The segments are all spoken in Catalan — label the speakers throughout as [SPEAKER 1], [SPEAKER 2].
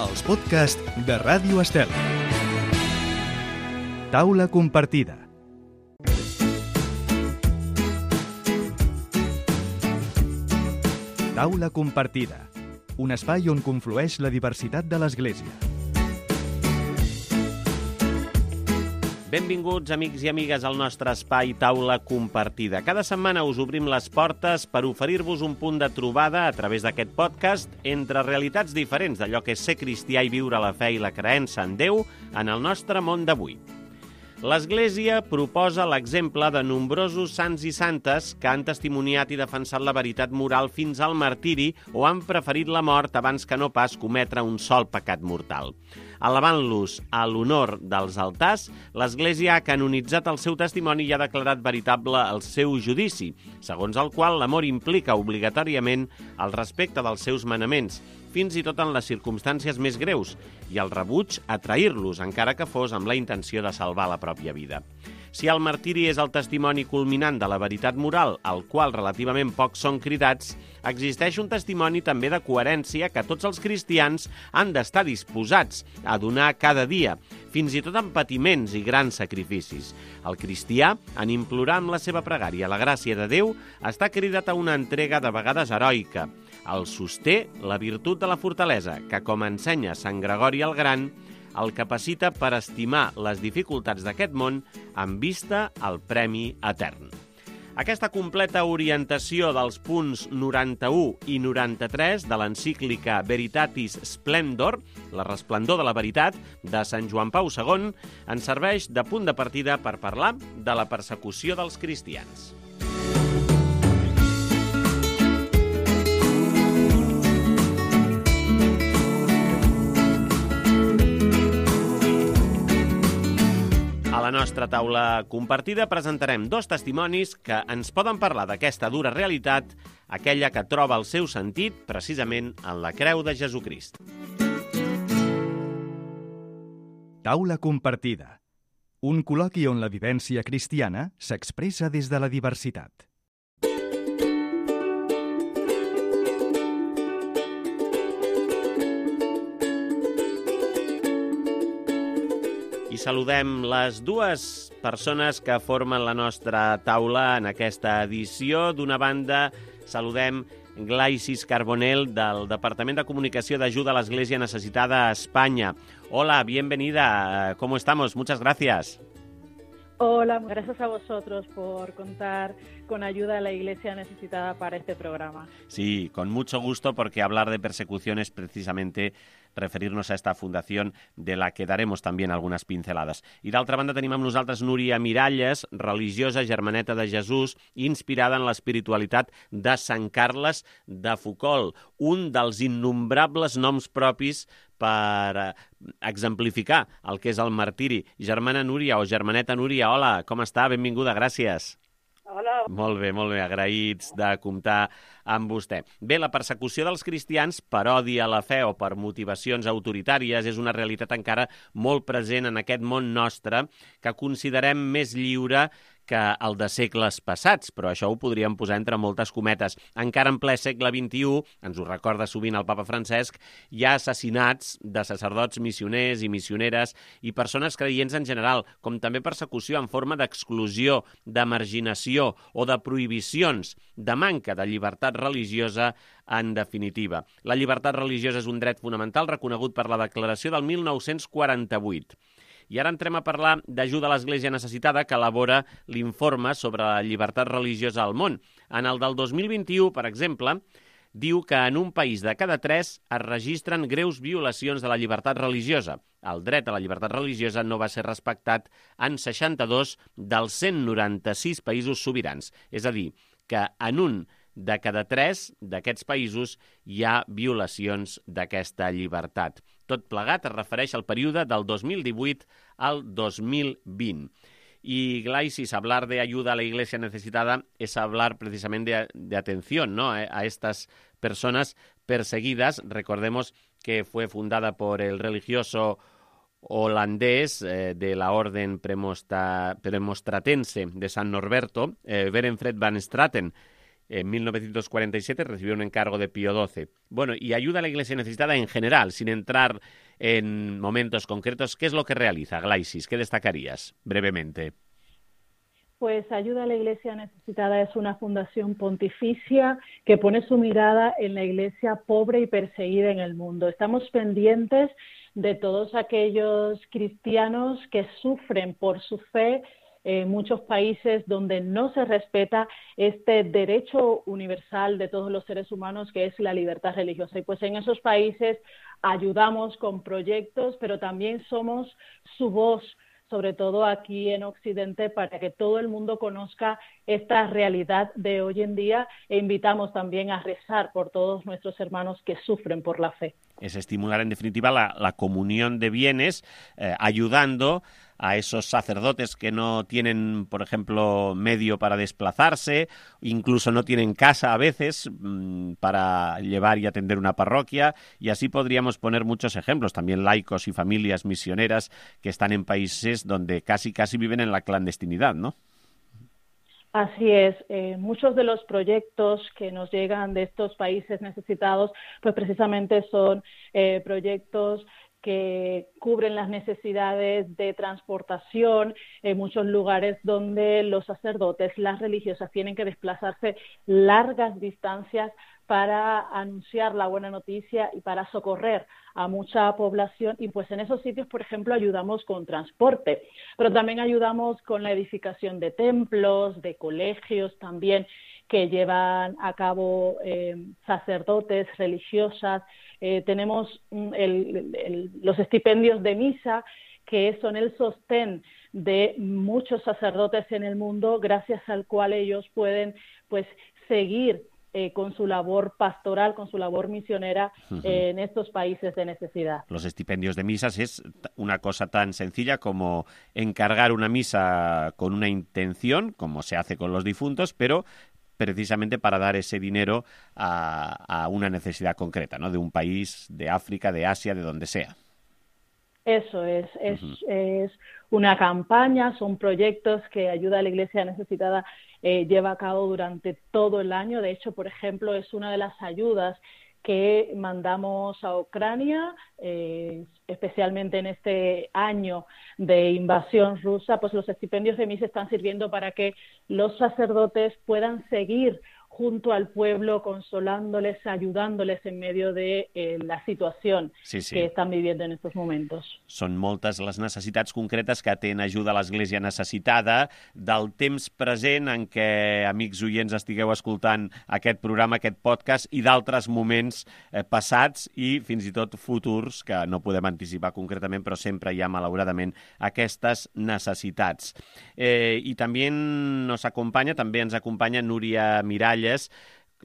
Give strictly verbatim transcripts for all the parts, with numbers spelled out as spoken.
[SPEAKER 1] els podcasts de Ràdio Estel. Taula compartida. Taula compartida, un espai on conflueix la diversitat de l'Església.
[SPEAKER 2] Benvinguts, amics i amigues, al nostre espai Taula Compartida. Cada setmana us obrim les portes per oferir-vos un punt de trobada a través d'aquest podcast entre realitats diferents d'allò que és ser cristià i viure la fe i la creença en Déu en el nostre món d'avui. L'Església proposa l'exemple de nombrosos sants i santes que han testimoniat i defensat la veritat moral fins al martiri o han preferit la mort abans que no pas cometre un sol pecat mortal. Alabant-los a l'honor dels altars, l'Església ha canonitzat el seu testimoni i ha declarat veritable el seu judici, segons el qual l'amor implica obligatòriament el respecte dels seus manaments, fins i tot en les circumstàncies més greus, i el rebuig a trair-los, encara que fos amb la intenció de salvar la pròpia vida. Si el martiri és el testimoni culminant de la veritat moral, al qual relativament pocs són cridats, existeix un testimoni també de coherència que tots els cristians han d'estar disposats a donar cada dia, fins i tot amb patiments i grans sacrificis. El cristià, en implorar amb la seva pregària la gràcia de Déu, està cridat a una entrega de vegades heroica. El sosté la virtut de la fortalesa, que, com ensenya Sant Gregori el Gran, el capacita per estimar les dificultats d'aquest món amb vista al premi etern. Aquesta completa orientació dels punts noranta-u i noranta-tres de l'encíclica Veritatis Splendor, la resplendor de la veritat, de Sant Joan Pau segon, ens serveix de punt de partida per parlar de la persecució dels cristians. A la nostra taula compartida presentarem dos testimonis que ens poden parlar d'aquesta dura realitat, aquella que troba el seu sentit precisament en la creu de Jesucrist.
[SPEAKER 1] Taula compartida, un col·loqui on la vivència cristiana s'expressa des de la diversitat.
[SPEAKER 2] I saludem les dues persones que formen la nostra taula en aquesta edició. D'una banda, saludem Glaisis Carbonell, del Departament de Comunicació d'Ajuda a l'Església Necessitada a España. Hola, bienvenida. ¿Cómo estamos? Muchas gracias.
[SPEAKER 3] Hola, gracias a vosotros por contar con ayuda a la Iglesia Necesitada para este programa.
[SPEAKER 2] Sí, con mucho gusto, porque hablar de persecución es precisamente referir-nos a esta fundació de la que daremos també algunes pincelades. I d'altra banda tenim amb nosaltres Núria Miralles, religiosa germaneta de Jesús, inspirada en l'espiritualitat de Sant Carles de Foucault, un dels innombrables noms propis per exemplificar el que és el martiri. Germana Núria o germaneta Núria, hola, com està? Benvinguda, gràcies.
[SPEAKER 3] Hola.
[SPEAKER 2] Molt bé, molt bé, agraïts de comptar amb vostè. Bé, la persecució dels cristians per odi a la fe o per motivacions autoritàries és una realitat encara molt present en aquest món nostre que considerem més lliure que el de segles passats, però això ho podríem posar entre moltes cometes. Encara en ple segle vint-i-u, ens ho recorda sovint el papa Francesc, hi ha assassinats de sacerdots missioners i missioneres i persones creients en general, com també persecució en forma d'exclusió, de marginació o de prohibicions, de manca de llibertat religiosa en definitiva. La llibertat religiosa és un dret fonamental reconegut per la Declaració del mil nou-cents quaranta-vuit. I ara entrem a parlar d'Ajuda a l'Església Necessitada, que elabora l'informe sobre la llibertat religiosa al món. En el del dos mil vint-i-u, per exemple, diu que en un país de cada tres es registren greus violacions de la llibertat religiosa. El dret a la llibertat religiosa no va ser respectat en seixanta-dos dels cent noranta-sis països sobirans. És a dir, que en un de cada tres d'aquests països hi ha violacions d'aquesta llibertat. Tot plegat es refereix al període del dos mil divuit al dos mil vint. Y Glaisis, hablar de ayuda a la Iglesia necesitada es hablar precisamente de, de atención, ¿no?, a, a estas personas perseguidas. Recordemos que fue fundada por el religioso holandés eh, de la orden premosta, premostratense de San Norberto, eh, Berenfred van Straten, en mil novecientos cuarenta y siete recibió un encargo de Pío doce. Bueno, y ayuda a la Iglesia necesitada en general, sin entrar en momentos concretos. ¿Qué es lo que realiza Glaisis? ¿Qué destacarías brevemente?
[SPEAKER 3] Pues Ayuda a la Iglesia Necesitada es una fundación pontificia que pone su mirada en la Iglesia pobre y perseguida en el mundo. Estamos pendientes de todos aquellos cristianos que sufren por su fe en muchos países donde no se respeta este derecho universal de todos los seres humanos, que es la libertad religiosa. Y pues en esos países ayudamos con proyectos, pero también somos su voz, sobre todo aquí en Occidente, para que todo el mundo conozca esta realidad de hoy en día, e invitamos también a rezar por todos nuestros hermanos que sufren por la fe.
[SPEAKER 2] Es estimular, en definitiva, la, la comunión de bienes, eh, ayudando a esos sacerdotes que no tienen, por ejemplo, medio para desplazarse, incluso no tienen casa a veces mmm, para llevar y atender una parroquia, y así podríamos poner muchos ejemplos, también laicos y familias misioneras que están en países donde casi casi viven en la clandestinidad, ¿no?
[SPEAKER 3] Así es, eh, muchos de los proyectos que nos llegan de estos países necesitados, pues precisamente son eh, proyectos que cubren las necesidades de transportación en muchos lugares donde los sacerdotes, las religiosas tienen que desplazarse largas distancias para anunciar la buena noticia y para socorrer a mucha población, y pues en esos sitios, por ejemplo, ayudamos con transporte, pero también ayudamos con la edificación de templos, de colegios también, que llevan a cabo eh, sacerdotes, religiosas. Eh, tenemos el, el, los estipendios de misa, que son el sostén de muchos sacerdotes en el mundo, gracias al cual ellos pueden pues seguir Eh, con su labor pastoral, con su labor misionera eh, en estos países de necesidad.
[SPEAKER 2] Los estipendios de misas es una cosa tan sencilla como encargar una misa con una intención, como se hace con los difuntos, pero precisamente para dar ese dinero a, a una necesidad concreta, ¿no? De un país, de África, de Asia, de donde sea.
[SPEAKER 3] Eso es, es, uh-huh. es una campaña, son proyectos que Ayuda a la Iglesia Necesitada eh, lleva a cabo durante todo el año. De hecho, por ejemplo, es una de las ayudas que mandamos a Ucrania, eh, especialmente en este año de invasión rusa. Pues los estipendios de misa están sirviendo para que los sacerdotes puedan seguir junto al pueblo, consolándoles, ayudándoles en medio de eh, la situació sí, sí. que estan viviendo en estos momentos.
[SPEAKER 2] Són moltes les necessitats concretes que atén Ajuda a l'Església Necessitada, del temps present en què, amics oients, estigueu escoltant aquest programa, aquest podcast, i d'altres moments eh, passats i fins i tot futurs, que no podem anticipar concretament, però sempre hi ha, malauradament, aquestes necessitats. Eh, I també nos acompanya, també ens acompanya Núria Miralles,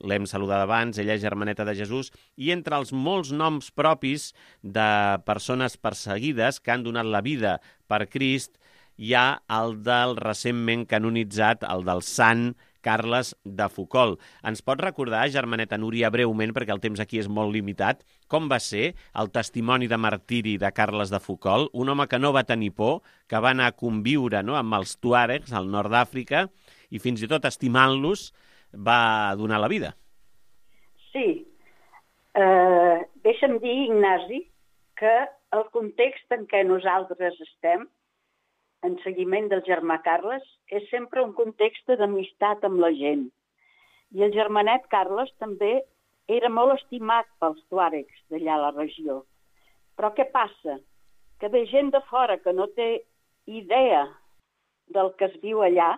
[SPEAKER 2] l'hem saludat abans, ella és germaneta de Jesús, i entre els molts noms propis de persones perseguides que han donat la vida per Crist, hi ha el del recentment canonitzat, el del sant Carles de Foucauld. Ens pot recordar, germaneta Núria, breument, perquè el temps aquí és molt limitat, com va ser el testimoni de martiri de Carles de Foucauld, un home que no va tenir por, que va anar a conviure, no?, amb els tuàregs al nord d'Àfrica i fins i tot estimant-los va donar la vida.
[SPEAKER 4] Sí. Uh, deixa'm dir, Ignasi, que el context en què nosaltres estem, en seguiment del germà Carles, és sempre un context d'amistat amb la gent. I el germanet Carles també era molt estimat pels tuàregs d'allà a la regió. Però què passa? Que de gent de fora que no té idea del que es viu allà,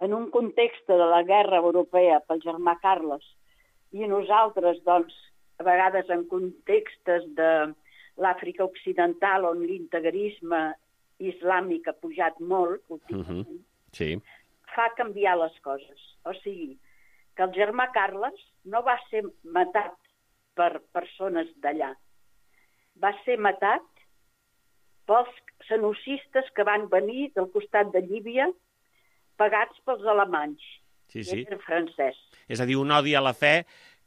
[SPEAKER 4] en un context de la guerra europea pel germà Carles, i nosaltres, doncs, a vegades en contextes de l'Àfrica Occidental, on l'integrisme islàmic ha pujat molt, últimament, uh-huh. sí. fa canviar les coses. O sigui, que el germà Carles no va ser matat per persones d'allà. Va ser matat pels genocistes que van venir del costat de Llívia, pagats pels alemanys, sí, sí. i francès.
[SPEAKER 2] És a dir, un odi a la fe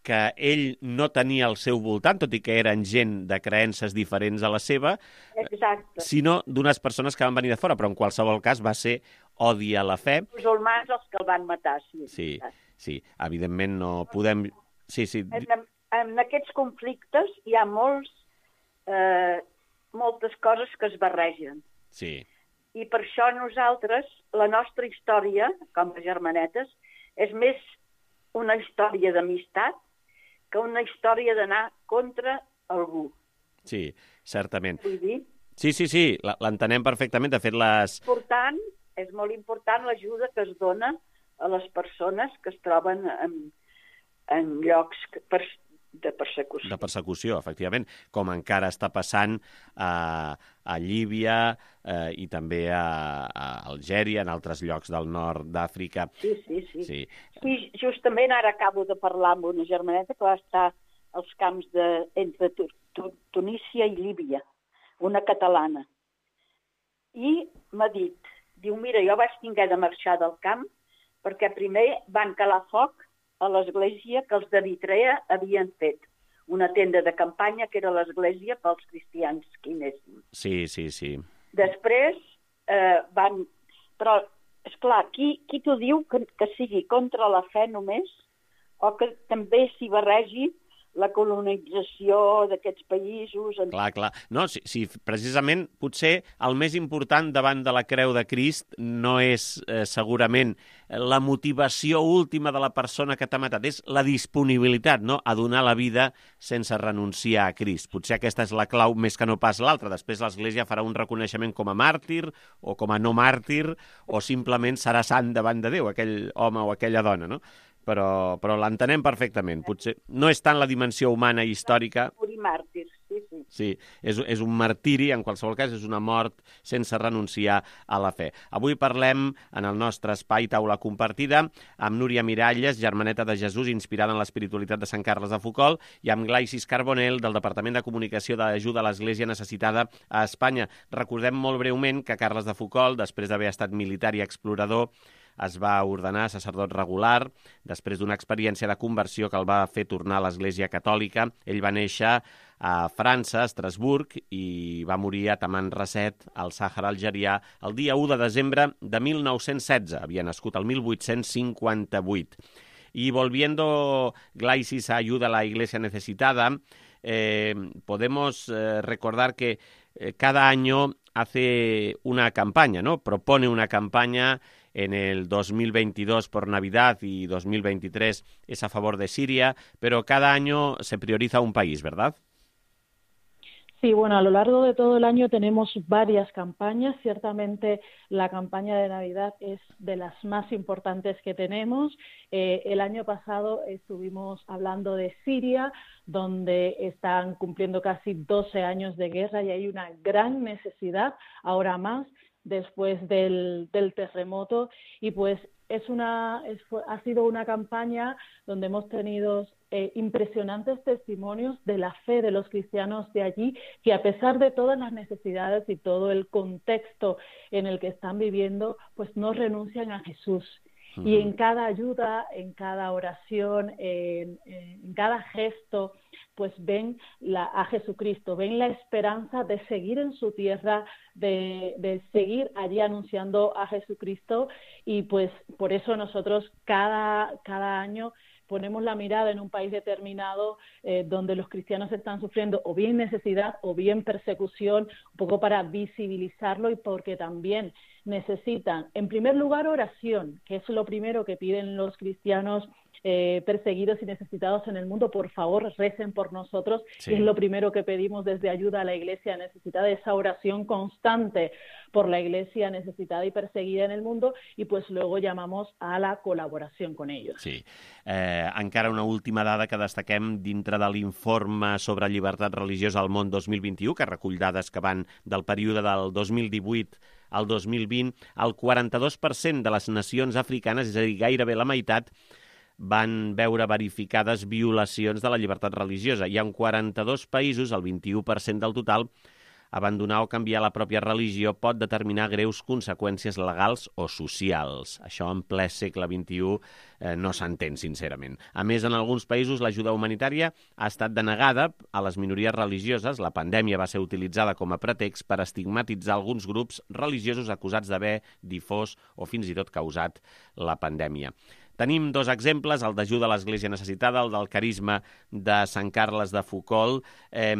[SPEAKER 2] que ell no tenia al seu voltant, tot i que eren gent de creences diferents a la seva,
[SPEAKER 4] Exacte.
[SPEAKER 2] sinó d'unes persones que van venir de fora, però en qualsevol cas va ser odi a la fe.
[SPEAKER 4] Els musulmans els que el van matar, sí.
[SPEAKER 2] sí. sí. Evidentment no podem... Sí, sí.
[SPEAKER 4] En, en aquests conflictes hi ha molts, eh, moltes coses que es barregen.
[SPEAKER 2] Sí.
[SPEAKER 4] I per això nosaltres, la nostra història, com a germanetes, és més una història d'amistat que una història d'anar contra algú.
[SPEAKER 2] Sí, certament.
[SPEAKER 4] Vull dir?
[SPEAKER 2] Sí, sí, sí, l'entenem perfectament. De fet, les...
[SPEAKER 4] Important, és molt important l'ajuda que es dona a les persones que es troben en, en llocs per, de persecució.
[SPEAKER 2] De persecució, efectivament, com encara està passant a, a Líbia eh, i també a, a Algèria, en altres llocs del nord d'Àfrica.
[SPEAKER 4] Sí, sí, sí,
[SPEAKER 2] sí.
[SPEAKER 4] Sí, justament ara acabo de parlar amb una germaneta que va estar als camps de, entre Tunísia i Líbia, una catalana. I m'ha dit, diu, mira, jo vaig haver de marxar del camp perquè primer van calar foc a l'església que els d'Eritrea havien fet. Una tenda de campanya que era l'església pels cristians que hi anessin.
[SPEAKER 2] Sí, sí, sí.
[SPEAKER 4] Després eh, van... Però, esclar, qui, qui t'ho diu que, que sigui contra la fe només o que també s'hi barregi la colonització d'aquests països... En...
[SPEAKER 2] Clar, clar. No, sí, sí, precisament, potser el més important davant de la creu de Crist no és eh, segurament la motivació última de la persona que t'ha matat, és la disponibilitat, no?, a donar la vida sense renunciar a Crist. Potser aquesta és la clau més que no pas l'altra. Després l'Església farà un reconeixement com a màrtir o com a no màrtir o simplement serà sant davant de Déu, aquell home o aquella dona, no? Però, però l'entenem perfectament. Potser no és tant la dimensió humana i històrica...
[SPEAKER 4] Morir màrtirs, sí, sí.
[SPEAKER 2] Sí, és, és un martiri, en qualsevol cas és una mort sense renunciar a la fe. Avui parlem en el nostre espai Taula Compartida amb Núria Miralles, germaneta de Jesús, inspirada en l'espiritualitat de Sant Carles de Foucauld, i amb Glaisis Carbonell, del Departament de Comunicació d'Ajuda a l'Església Necessitada a Espanya. Recordem molt breument que Carles de Foucauld, després d'haver estat militar i explorador, es va ordenar sacerdot regular després d'una experiència de conversió que el va fer tornar a l'Església Catòlica. Ell va néixer a França, a Estrasburg, i va morir a Tamanrasset, al Sàhara algerià, el dia u de desembre de mil nou-cents setze. Havia nascut el mil vuit-cents cinquanta-vuit. Y volviendo, Glaisis, a Ayuda a la Iglesia Necesitada, eh, podemos eh, recordar que eh, cada año hace una campaña, ¿no? Propone una campaña. En el dos mil veintidós por Navidad y dos mil veintitrés es a favor de Siria, pero cada año se prioriza un país, ¿verdad?
[SPEAKER 3] Sí, bueno, a lo largo de todo el año tenemos varias campañas. Ciertamente la campaña de Navidad es de las más importantes que tenemos. Eh, el año pasado estuvimos hablando de Siria, donde están cumpliendo casi doce años de guerra y hay una gran necesidad, ahora más, después del, del terremoto, y pues es una es, ha sido una campaña donde hemos tenido eh, impresionantes testimonios de la fe de los cristianos de allí, que a pesar de todas las necesidades y todo el contexto en el que están viviendo, pues no renuncian a Jesús. Uh-huh. Y en cada ayuda, en cada oración, en, en cada gesto, pues ven la, a Jesucristo, ven la esperanza de seguir en su tierra, de, de seguir allí anunciando a Jesucristo, y pues por eso nosotros cada, cada año ponemos la mirada en un país determinado eh, donde los cristianos están sufriendo o bien necesidad o bien persecución, un poco para visibilizarlo, y porque también necesitan, en primer lugar, oración, que es lo primero que piden los cristianos eh, perseguidos y necesitados en el mundo. Por favor, recen por nosotros, sí. Es lo primero que pedimos desde Ayuda a la Iglesia Necesitada, esa oración constante por la Iglesia necesitada y perseguida en el mundo, y pues luego llamamos a la col·laboració con ellos.
[SPEAKER 2] Sí. Eh, encara una última dada que destaquem dintre de l'informe sobre llibertat religiosa al món dos mil vint-i-u, que recull dades que van del període del dos mil divuit al dos mil vint, el quaranta-dos per cent de les nacions africanes, és a dir, gairebé la meitat, van veure verificades violacions de la llibertat religiosa. I en quaranta-dos països, el vint-i-u per cent del total, abandonar o canviar la pròpia religió pot determinar greus conseqüències legals o socials. Això en ple segle vint-i-u eh, no s'entén, sincerament. A més, en alguns països l'ajuda humanitària ha estat denegada a les minories religioses. La pandèmia va ser utilitzada com a pretext per estigmatitzar alguns grups religiosos acusats d'haver difós o fins i tot causat la pandèmia. Tenim dos exemples, el d'ajuda a l'Església Necessitada, el del carisma de Sant Carles de Foucauld. Eh,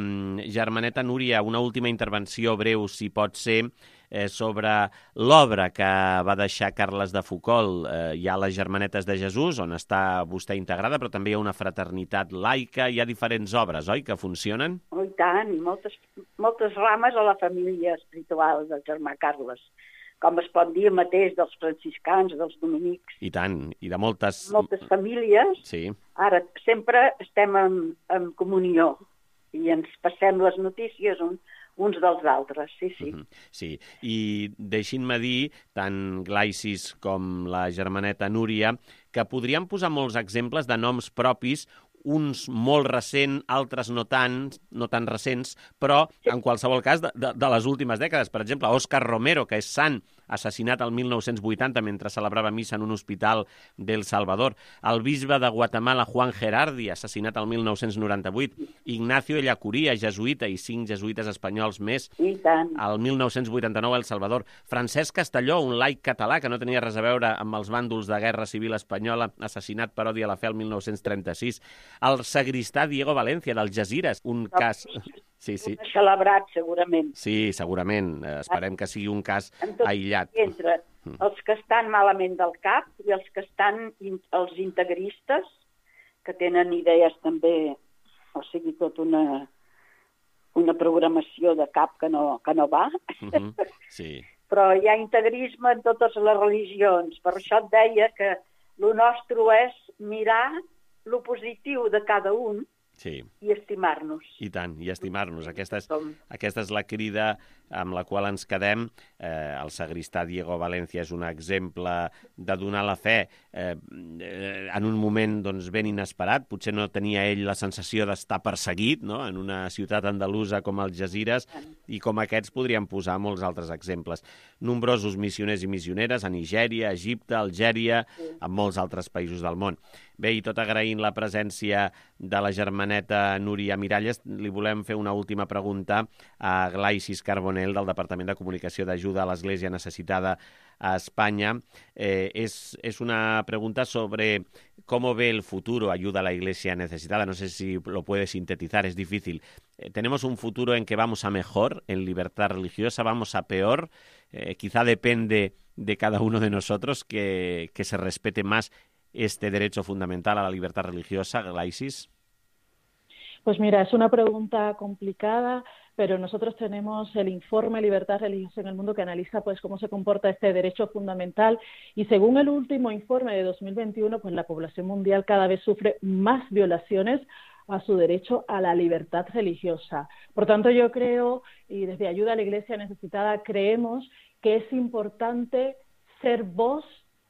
[SPEAKER 2] Germaneta Núria, una última intervenció breu, si pot ser, eh, sobre l'obra que va deixar Carles de Foucauld. Eh, hi ha les Germanetes de Jesús, on està vostè integrada, però també hi ha una fraternitat laica, hi ha diferents obres, oi?, que funcionen?
[SPEAKER 4] Oh, i tant, moltes, moltes rames a la família espiritual del germà Carles, com es pot dir mateix dels franciscans, dels dominics.
[SPEAKER 2] I tant, i de moltes...
[SPEAKER 4] Moltes famílies.
[SPEAKER 2] Sí.
[SPEAKER 4] Ara, sempre estem en, en comunió i ens passem les notícies un, uns dels altres, sí, sí.
[SPEAKER 2] Uh-huh. Sí, i deixin-me dir, tant Glaisis com la germaneta Núria, que podríem posar molts exemples de noms propis, uns molt recents, altres no tan, no tan recents, però en qualsevol cas de, de, de les últimes dècades. Per exemple, Òscar Romero, que és sant, assassinat el mil nou-cents vuitanta mentre celebrava missa en un hospital d'El Salvador. El bisbe de Guatemala, Juan Gerardi, assassinat el mil nou-cents noranta-vuit. Ignacio Ellacuría, jesuïta, i cinc jesuïtes espanyols més.
[SPEAKER 4] I tant.
[SPEAKER 2] El mil nou-cents vuitanta-nou a El Salvador. Francesc Castelló, un laic català que no tenia res a veure amb els bàndols de guerra civil espanyola, assassinat per odi a la fe el mil nou-cents trenta-sis. El sagristà Diego Valencia, d'Algesires, un no, cas... Sí, sí.
[SPEAKER 4] Celebrat, segurament.
[SPEAKER 2] Sí, segurament. Esperem que sigui un cas aïllat.
[SPEAKER 4] Entre els que estan malament del cap i els que estan, els integristes, que tenen idees també, o sigui, tot una, una programació de cap que no, que no va.
[SPEAKER 2] Uh-huh. Sí.
[SPEAKER 4] Però hi ha integrisme en totes les religions. Per això et deia que el nostre és mirar lo positiu de cada un, sí, i estimar-nos.
[SPEAKER 2] I tant, i estimar-nos. Aquesta és, aquesta és la crida amb la qual ens quedem. Eh, el sagristà Diego Valencia és un exemple de donar la fe eh, en un moment doncs, ben inesperat. Potser no tenia ell la sensació d'estar perseguit, no?, en una ciutat andalusa com Algesires, i com aquests podríem posar molts altres exemples. Nombrosos missioners i missioneres a Nigèria, Egipte, Algèria, sí, en molts altres països del món. Bé, i tot agraint la presència de la germaneta Núria Miralles, li volem fer una última pregunta a Glaisis Carbonell, del Departament de Comunicació d'Ajuda a l'Església Necessitada a España. Eh, es, es una pregunta sobre cómo ve el futuro Ayuda a la Iglesia Necesitada. No sé si lo puede sintetizar, es difícil. Eh, ¿Tenemos un futuro en que vamos a mejor en libertad religiosa, vamos a peor? Eh, quizá depende de cada uno de nosotros que, que se respete más este derecho fundamental a la libertad religiosa, Glaisis.
[SPEAKER 3] Pues mira, es una pregunta complicada, pero nosotros tenemos el informe Libertad Religiosa en el Mundo que analiza pues cómo se comporta este derecho fundamental, y según el último informe de dos mil veintiuno, pues la población mundial cada vez sufre más violaciones a su derecho a la libertad religiosa. Por tanto, yo creo, y desde Ayuda a la Iglesia Necesitada creemos que es importante ser voz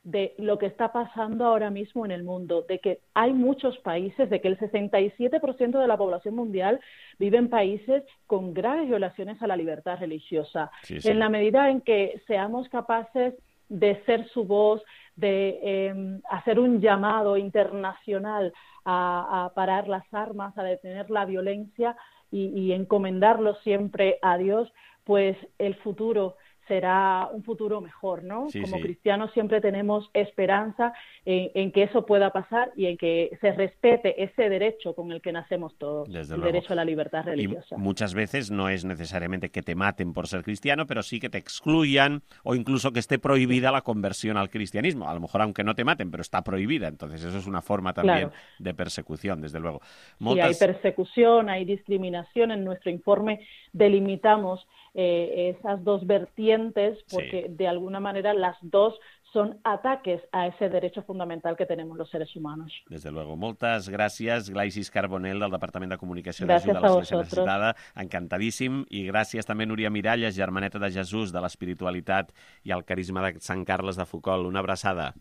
[SPEAKER 3] de lo que está pasando ahora mismo en el mundo, de que hay muchos países, de que el sesenta y siete por ciento de la población mundial vive en países con graves violaciones a la libertad religiosa. Sí, sí. En la medida en que seamos capaces de ser su voz, de eh, hacer un llamado internacional a, a parar las armas, a detener la violencia y, y encomendarlo siempre a Dios, pues el futuro será un futuro mejor, ¿no? Sí, Como sí. cristianos siempre tenemos esperanza en, en que eso pueda pasar y en que se respete ese derecho con el que nacemos todos, Desde el luego. derecho a la libertad religiosa.
[SPEAKER 2] Y muchas veces no es necesariamente que te maten por ser cristiano, pero sí que te excluyan o incluso que esté prohibida la conversión al cristianismo. A lo mejor aunque no te maten, pero está prohibida. Entonces eso es una forma también claro. de persecución, desde luego.
[SPEAKER 3] Moltes... Sí, hay persecución, hay discriminación. En nuestro informe delimitamos eh, esas dos vertientes porque sí. de alguna manera las dos son ataques a ese derecho fundamental que tenemos los seres humanos.
[SPEAKER 2] Desde luego. Moltes gràcies, Glaisis Carbonell, del Departament de Comunicació d'Ajuda a l'Església Necessitada. Encantadíssim. I gràcies també, Núria Miralles, germaneta de Jesús, de l'espiritualitat i el carisma de Sant Carles de Foucauld. Una abraçada.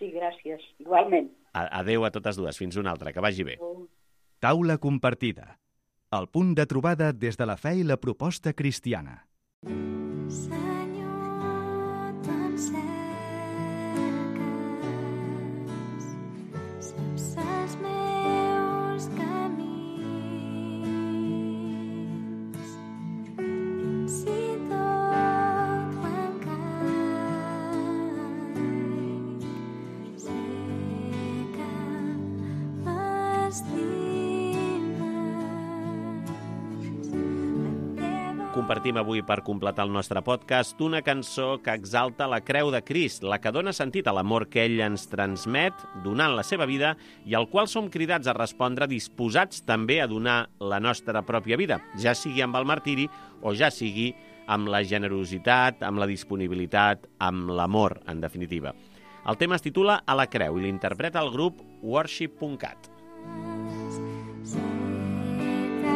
[SPEAKER 4] Sí, gràcies. Igualment.
[SPEAKER 2] Adéu a totes dues. Fins una altra. Que vagi bé.
[SPEAKER 1] Taula compartida. El punt de trobada des de la fe i la proposta cristiana.
[SPEAKER 5] Senyor, tu em cerques, saps els meus camins, fins i tot quan caic, sé
[SPEAKER 2] compartim avui per completar el nostre podcast una cançó que exalta la creu de Crist, la que dona sentit a l'amor que ell ens transmet donant la seva vida i al qual som cridats a respondre disposats també a donar la nostra pròpia vida, ja sigui amb el martiri o ja sigui amb la generositat, amb la disponibilitat, amb l'amor, en definitiva. El tema es titula A la creu i l'interpreta el grup worship punt cat.
[SPEAKER 5] Sé que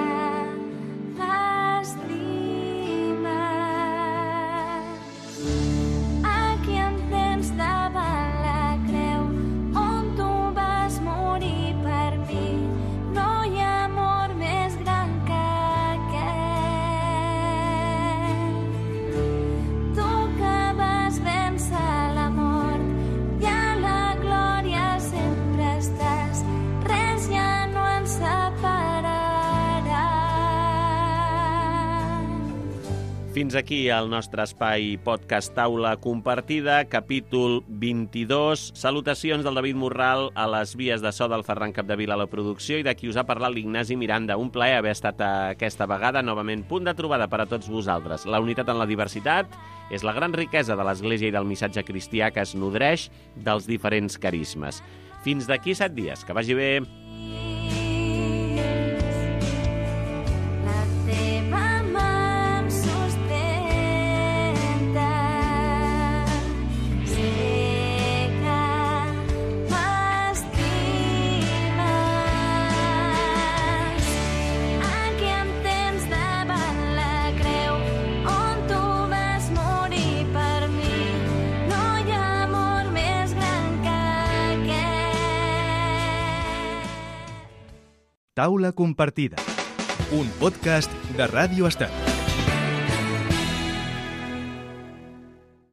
[SPEAKER 5] l'estimes. Aquí em tens davant la creu on tu vas morir per mi. No hi ha amor més gran que aquest. Tu que vas vèncer la mort i a la glòria sempre estàs. Res ja no ens separarà.
[SPEAKER 2] Fins aquí el nostre espai podcast Taula Compartida, capítol vint-i-dos. Salutacions del David Morral a les vies de so del Ferran Capdevila a la producció i de qui us ha parlat l'Ignasi Miranda. Un plaer haver estat aquesta vegada novament punt de trobada per a tots vosaltres. La unitat en la diversitat és la gran riquesa de l'Església i del missatge cristià que es nodreix dels diferents carismes. Fins d'aquí set dies. Que vagi bé.
[SPEAKER 5] La teva mà em sustenta. Sé que m'estimes. Aquí em tens davant la creu on tu vas morir per mi. No hi ha amor més gran que aquest.
[SPEAKER 1] Taula Compartida, un podcast de Ràdio Estat.